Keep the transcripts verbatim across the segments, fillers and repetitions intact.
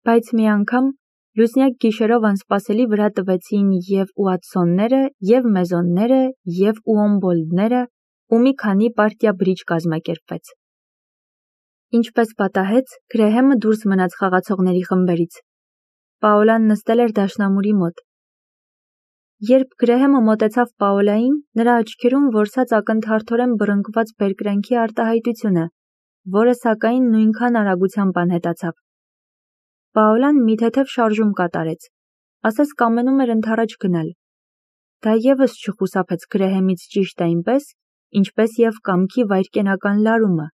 Բայց մի անգամ լուսնյակ գիշերով անսպասելի վրա տվեցին և ուատսոնները, և մեզոնները, և ուոմբոլդները, ու մի քանի պարտիա բրիջ կազմակերպվեց։ Ինչպես պատահեց, Գրեհեմը դուրս մնաց խաղացողների խմբերից։ Պաոլան նստել էր դաշնամուրի մոտ։ Երբ Գրեհեմը մոտեցավ Պաոլային, նրա աչքերում որսաց ակնթարթորեն բռնկված բերկրանքի արտահայտությունը, որը սակայն նույնքան արագությամբ անհետացավ։ Պաոլան մի թեթև շարժում կատարեց, ասես կամենում էր ընդառաջ գնալ։ Դա ևս չխուսափեց Գրեհեմից ճիշտ այնպես, ինչպես և կամքի վայրկենական լարումը,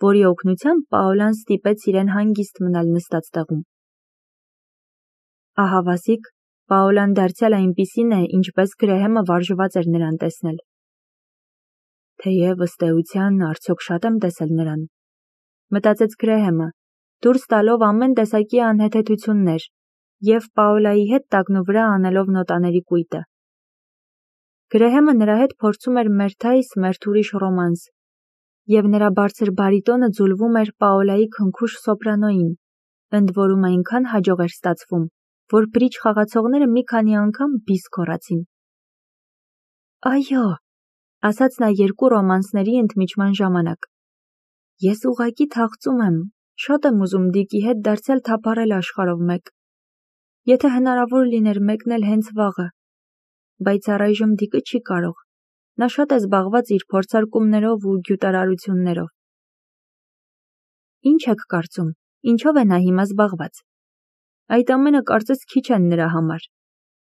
որի օգնությամբ Պաոլան ստիպեց իրեն հանգիստ մնալ նստած տեղում։ Ահավասիկ, Պաոլան դարձյալ այնպիսին է, ինչպես Գրեհեմը վարժված էր նրան տեսնել։ Թեև ըստ էության արդյոք շատ եմ տեսել նրան, մտածեց Գրեհեմը, դուրս տալով ամեն տեսակի անհեթեթություններ և Պաոլայի հետ տակնուվրա անելով նոտաների կույտը։ Գրեհեմը նրա հետ փորձում էր մերթայս մերթ ուրիշ ռոմանս, և նրա բարձր բարիտոնը ձուլվում էր Պաոլայի քնքուշ սոպրանոյին, ընդ որում այնքան հաջող էր ստացվում, որ բրիջ խաղացողները մի քանի անգամ բիս գոռացին։ Այո, ասաց նա երկու ռոմանսների ընդմիջման ժամանակ։ Ես ուղղակի թախծում եմ, շատ եմ ուզում Դիկի հետ դարձյալ թափառել աշխարհով մեկ։ Եթե հնարավոր լիներ մեկնել հենց վաղը, բայց առայժմ Դիկը չի կարող։ Նա շատ է զբաղված իր փորձարկումներով ու գյուտարարություններով։ Ինչ եք կարծում, ինչով է նա հիմա զբաղված։ Այդ ամենը կարծես քիչ են նրա համար։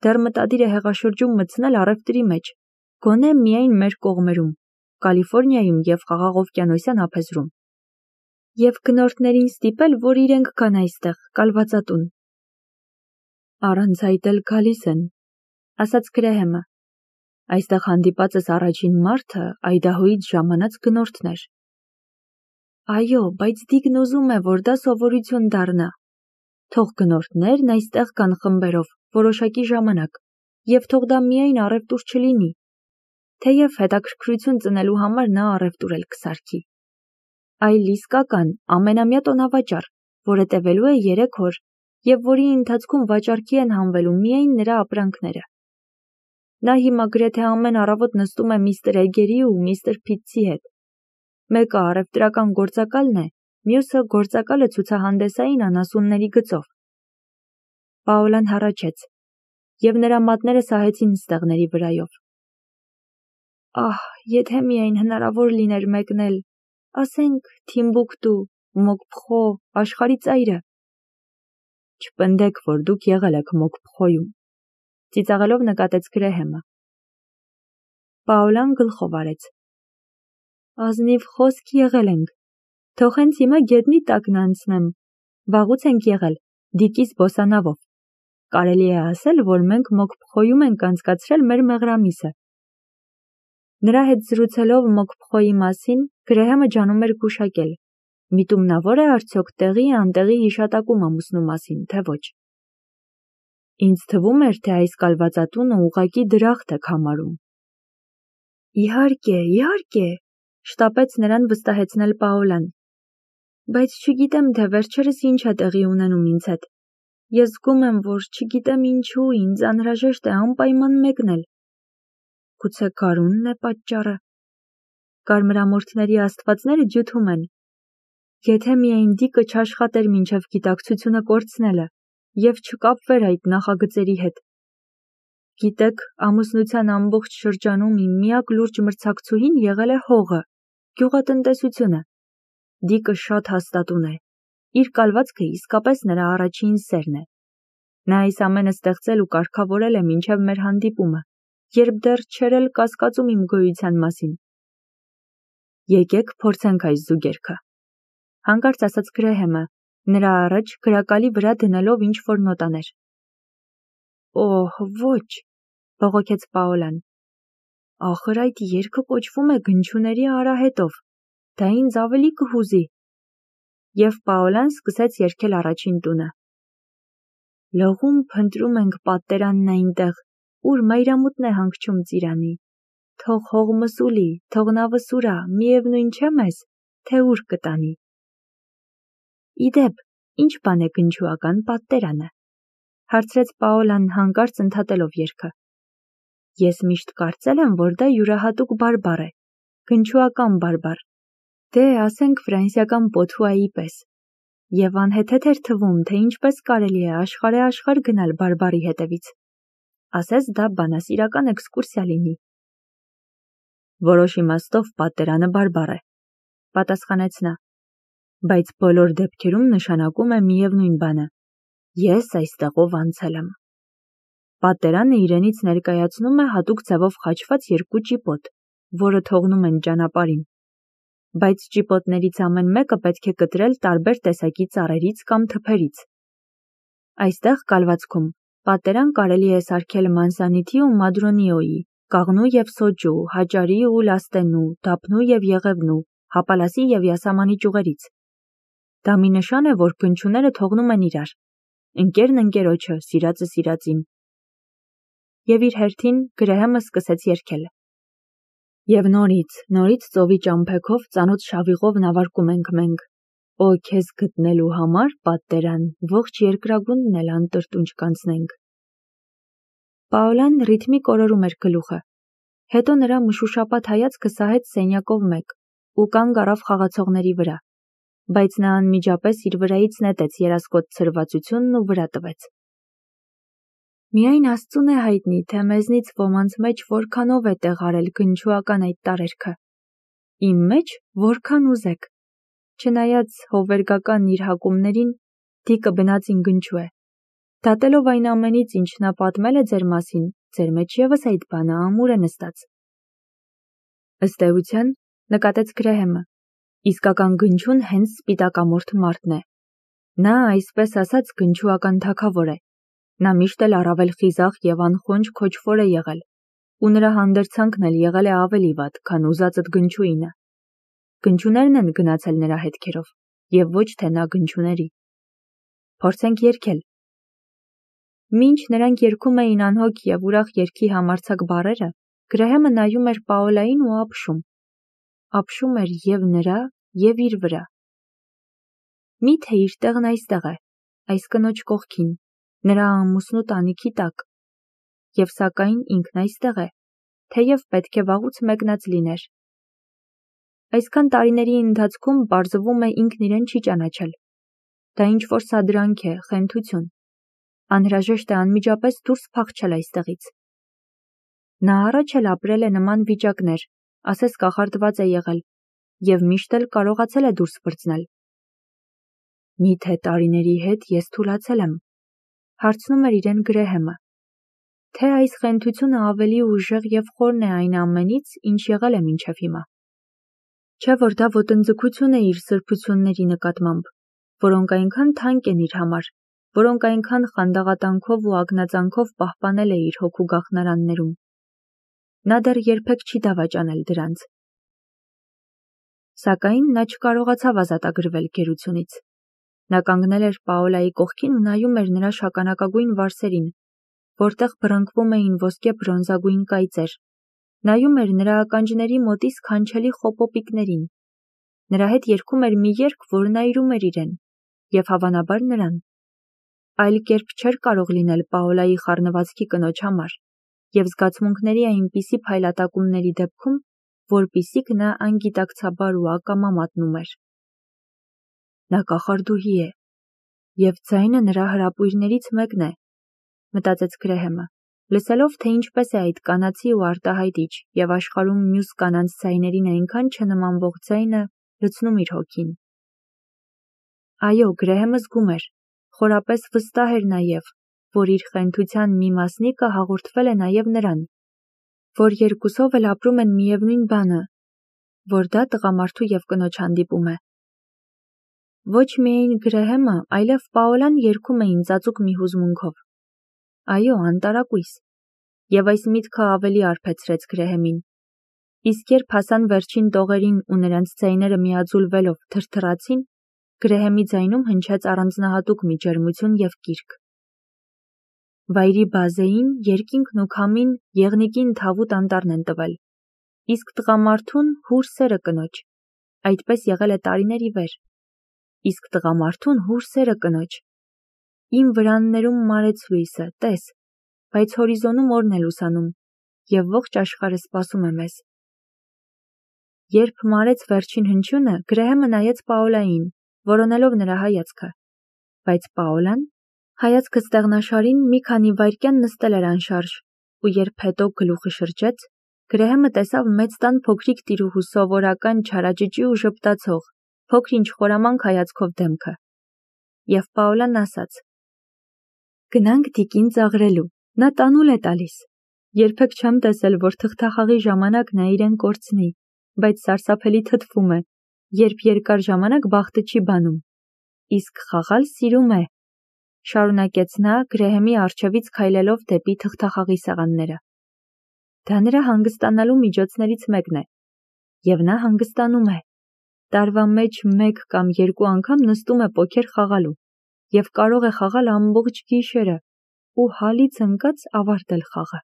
Դեռ մտադիր է հեղաշրջում մտցնել առևտրի մեջ, գոնե միայն մեր կողմերում, Կալիֆոռնիայում և Խաղաղօվկիանոսյան ափերում։ Եվ գնորդներին ստիպել, որ իրենք գան այստեղ, կալվածատուն։ Առանց այդ էլ գալիս են, ասաց Գրեհեմը։ Այստեղ հանդիպածս առաջին մարդը Այդահոյից ժամանած գնորդն էր։ Այո, բայց Դիկն ուզում է, որ դա սովորություն դառնա։ Թող գնորդներն այստեղ գան խմբերով, որոշակի ժամանակ, և թող դա միայն առևտուր չլինի, թեև հետաքրքրություն ծնելու համար նա առևտուր էլ կսարքի, այլ իսկական ամենամյա տոնավաճառ, որը տևելու է երեք օր, և որի ընթացքում վաճառքի են հանվելու միայն նրա ապրանքները։ Նա հիմա գրեթե ամեն առավոտ նստում է միստր Էգերի ու միստր Փիթսի հետ։ Մեկը առևտրական գործակալն է, մյուսը գործակալը ցուցահանդեսային անասունների գծով։ Պաոլան հառաչեց, և նրա մատները սահեցին ստեղների վրայով։ Ահ, եթե միայն հնարավոր լիներ մեկնել, ասենք Թիմբուկտու, Մոկփխո, աշխարհի ծայրը։ Չպնդեք, որ դուք եղել եք Մոկփխոյում, ծիծաղելով նկատեց Գրեհեմը։ Պաոլան գլխով արեց։ Ազնիվ խոսք եղել ենք, թող հենց հիմա գետնի տակն անցնեմ, վաղուց ենք եղել, Դիկի զբոսանավով։ Կարելի է ասել, որ մենք Մոկփխոյում ենք անցկացրել մեր մեղրամիսը։ Նրա հետ զրուցելով Մոկփխոյի մասին, Գրեհեմը ջանում էր գուշակել, միտումնավոր է արդյոք տեղի անտեղի հիշատակում ամուսնու մասին, թե ոչ։ Ինձ թվում էր, թե այս կալվածատունը ուղղակի դրախտ եք համարում։ Իհարկե, իհարկե, շտապեց նրան վստահեցնել Պաոլան։ Բայց չգիտեմ, թե վերջերս ինչ է տեղի ունենում ինձ հետ։ Ես զգում եմ, որ չգիտեմ ինչու ինձ անհրաժեշտ է անպայման մեկնել։ Գուցե գարունն է պատճառը։ Կարմրամորթների աստվածները ջութում են։ Եթե միայն Դիկը չաշխատեր մինչև գիտակցությունը կորցնելը և չկապվեր այդ նախագծերի հետ։ Գիտեք, ամուսնության ամբողջ շրջանում իմ միակ լուրջ մրցակցուհին եղել է հողը, գյուղատնտեսությունը։ Դիկը շատ հաստատուն է։ Իր կալվածքը իսկապես նրա առաջին սերն է։ Նա այս ամենը ստեղծել ու կարգավորել է մինչև մեր հանդիպումը, երբ դեռ չէր էլ կասկածում իմ գոյության մասին։ Եկեք փորձենք այս զուգերքը, հանկարծ ասաց Գրեհեմը, նրա առաջ գրակալի վրա դնելով ինչ-որ նոտաներ։ Օհ, ոչ, բողոքեց Պաոլան։ Ախր այդ երգը կոչվում է Գնչուների արահետով, դա ինձ ավելի կհուզի։ Եվ Պաոլան սկսեց երգել առաջին տունը։ Լողում փնտրում ենք պատերանն այնտեղ, ուր մայրամուտն է հանգչում ծիրանի։ Թող հողմը սուլի, թող նավը սուրա, միևնույն չէ մեզ, թե ուր կտանի։ Իդեպ, Ինչ բան է գնչուական պատտերանը, հարցրեց Պաոլան հանկարծ ընդհատելով երգը։ Ես միշտ կարծել եմ, որ դա յուրահատուկ բարբառ է, գնչուական բարբառ, դե ասենք ֆրանսիական պոթուայի պես, և անհեթեթ էր թվում, թե ինչպես կարելի է աշխարհե-աշխարհ գնալ բարբառի հետևից, ասես դա բանասիրական էքսկուրսիա լինի։ Որոշ իմաստով պատտերանը բարբառ է, պատասխանեց նա, բայց բոլոր դեպքերում նշանակում է միևնույն բանը. ես այստեղով անցել եմ։ Պատտերանը իրենից ներկայացնում է հատուկ ձևով խաչված երկու ճիպոտ, որը թողնում են ճանապարհին, բայց ճիպոտներից ամեն մեկը պետք է կտրել տարբեր տեսակի ծառերից կամ թփերից։ Այստեղ կալվածքում պատտերան կարելի է սարքել մանսանիթի ու մադրոնիոյի, կաղնու և սոճու, հաճարի ու լաստենու, դափնու և եղևնու, հապալասի և յասամանի ճյուղերից։ Դա մի նշան է, որ գնչուները թողնում են իրար, ընկերն ընկերոջը, սիրածը սիրածին։ Եվ իր հերթին Գրեհեմը սկսեց երգել. Եվ նորից, նորից ծովի ճամփեքով ծանոթ շավիղով նավարկում ենք մենք, օ քեզ գտնելու համար, պատտերան, ողջ երկրագունդն էլ անտրտունջ կանցնենք։ Պաոլան ռիթմիկ օրորում էր գլուխը, հետո նրա մշուշապատ հայացքը սահեց սենյակով մեկ ու կանգ առավ խաղացողների վրա, բայց նա անմիջապես իր վրայից նետեց երասկոտ ցրվածությունն ու վրա տվեց։ Միայն Աստծուն է հայտնի, թե մեզնից ոմանց մեջ որքանով է տեղարել գնչուական այդ տարերքը։ Իմ մեջ որքան ուզեք։ Չնայած հովվերգական իր հակումներին, Դիկը բնածին գնչու է։ Դատելով այն ամենից, ինչ նա պատմել է ձեր մասին, ձեր մեջ ևս այդ բանը ամուր է նստած։ Ըստ էության, նկատեց Գրեհեմը, իսկական գնչուն հենց սպիտակամորթ մարդն է։ Նա, այսպես ասած, գնչուական թագավոր է։ Նա միշտ էլ առավել խիզախ և անխոնջ քոչվոր է եղել, ու նրա հանդերձանքն էլ եղել է ավելի վատ, քան ուզածդ գնչուինը։ Գնչուներն են գնացել նրա հետքերով, և ոչ թե նա գնչուների։ Փորձենք երգել։ Մինչ նրանք երգում էին անհոգ և ուրախ երգի համարձակ բառերը, Գրեհեմը նայում էր Պաոլային ու ապշում։ Ապշում էր և նրա, և իր վրա։ Միթե իր տեղն այստեղ է, այս կնոջ կողքին, նրա ամուսնու տանիքի տակ, և սակայն ինքն այստեղ է, թեև պետք է վաղուց մեկնած լիներ։ Այսքան տարիների ընթացքում պարզվում է ինքն իրեն չի ճանաչել։ Դա ինչ-որ սադրանք է, խենթություն։ Անհրաժեշտ է անմիջապես դուրս փախչել այստեղից։ Նա առաջ էլ ապրել է նման վիճակներ, ասես կախարդված է եղել, և միշտ էլ կարողացել է դուրս պրծնել։ Միթե տարիների հետ ես թուլացել եմ, հարցնում էր իրեն Գրեհեմը, թե այս խենթությունը ավելի ուժեղ և խորն է այն ամենից, ինչ եղել է մինչև հիմա։ Չէ՞ որ դա ոտնձգություն է իր սրբությունների նկատմամբ, որոնք այնքան թանկ են իր համար, որոնք այնքան խանդաղատանքով ու ագնածանքով պահպանել է իր հոգու գաղթարաններում։ Նա դեռ երբեք չի դավաճանել դրանց։ Սակայն նա չկարողացավ ազատագրվել գերությունից։ Նա կանգնել էր Պաոլայի կողքին ու նայում էր նրա շագանակագույն վարսերին, որտեղ բռնկվում էին ոսկե բրոնզագույն կայծեր, նայում էր նրա ականջների մոտի սքանչելի խոպոպիկներին։ Նրա հետ երգում էր մի երգ, որն այրում էր իրեն, և հավանաբար նրան։ Այլ կերպ չէր կարող լինել Պաոլայի խառնվածքի կնոջ համար, և զգացմունքների այնպիսի փայլատակումների դեպքում, որպիսիք նա անգիտակցաբար ու ակամա մատնում էր։ Նա կախարդուհի է, և ձայնը նրա հրապույրներից մեկն է, մտածեց Գրեհեմը, լսելով, թե ինչպես է այդ կանացի ու արտահայտիչ և աշխարհում մյուս կանանց ձայներին այնքան չնմանվող ձայնը լցնում իր հոգին։ Այո, Գրեհեմը զգում էր, խորապես վստահ էր նաև, որ իր խենթության մի մասնիկը հաղորդվել է նաև նրան, որ երկուսով էլ ապրում են միևնույն բանը, որ դա տղամարդու և կնոջ հանդիպում է։ Ոչ միայն Գրեհեմը, այլև Պաոլան երգում էին ծածուկ մի հուզմունքով։ Այո, անտարակույս։ Եվ այս միտքը ավելի արբեցրեց Գրեհեմին։ Իսկ երբ հասան վերջին տողերին ու նրանց ձայները միաձուլվելով թրթռացին, Գրեհեմի ձայնում հնչեց առանձնահատուկ մի ջերմություն և կիրք։ Վայրի բազեին, երկինքն ու քամին եղնիկին թավուտ անտառն են տվել, իսկ տղամարդուն հուր սերը կնոջ։ Այդպես եղել է տարիներ ի վեր։ իսկ տղամարդուն հուրսերը կնոջ։ Իմ վրաններում մարեց լույսը, տես, բայց հորիզոնում օրն է լուսանում, և ողջ աշխարհը սպասում է մեզ։ Երբ մարեց վերջին հնչյունը, Գրեհեմը նայեց Պաոլային, որոնելով նրա հայացքը, բայց Պաոլան հայացքը ստեղնաշարին մի քանի վայրկյան նստել էր անշարժ, ու երբ հետո գլուխը շրջեց, Գրեհեմը տեսավ մեծ տան փոքրիկ տիրուհու սովորական չարաճճի ու ժպտացող, փոքր-ինչ խորամանկ հայացքով դեմքը։ Եվ Պաոլան ասաց. «Գնանք Դիկին ծաղրելու, նա տանուլ է տալիս։ Երբեք չեմ տեսել, որ թղթախաղի ժամանակ նա իրեն կորցնի, բայց սարսափելի թթվում է, երբ երկար ժամանակ բախտը չի բանում։ Իսկ խաղալ սիրում է», շարունակեց նա Գրեհեմի առջևից քայլելով դեպի թղթախաղի սեղանները։ Դա նրա հանգստանալու միջոցներից մեկն է, և նա հանգստանում է։ Տարվա մեջ մեկ կամ երկու անգամ նստում է պոքեր խաղալու, և կարող է խաղալ ամբողջ գիշերը ու հալից ընկած ավարտել խաղը։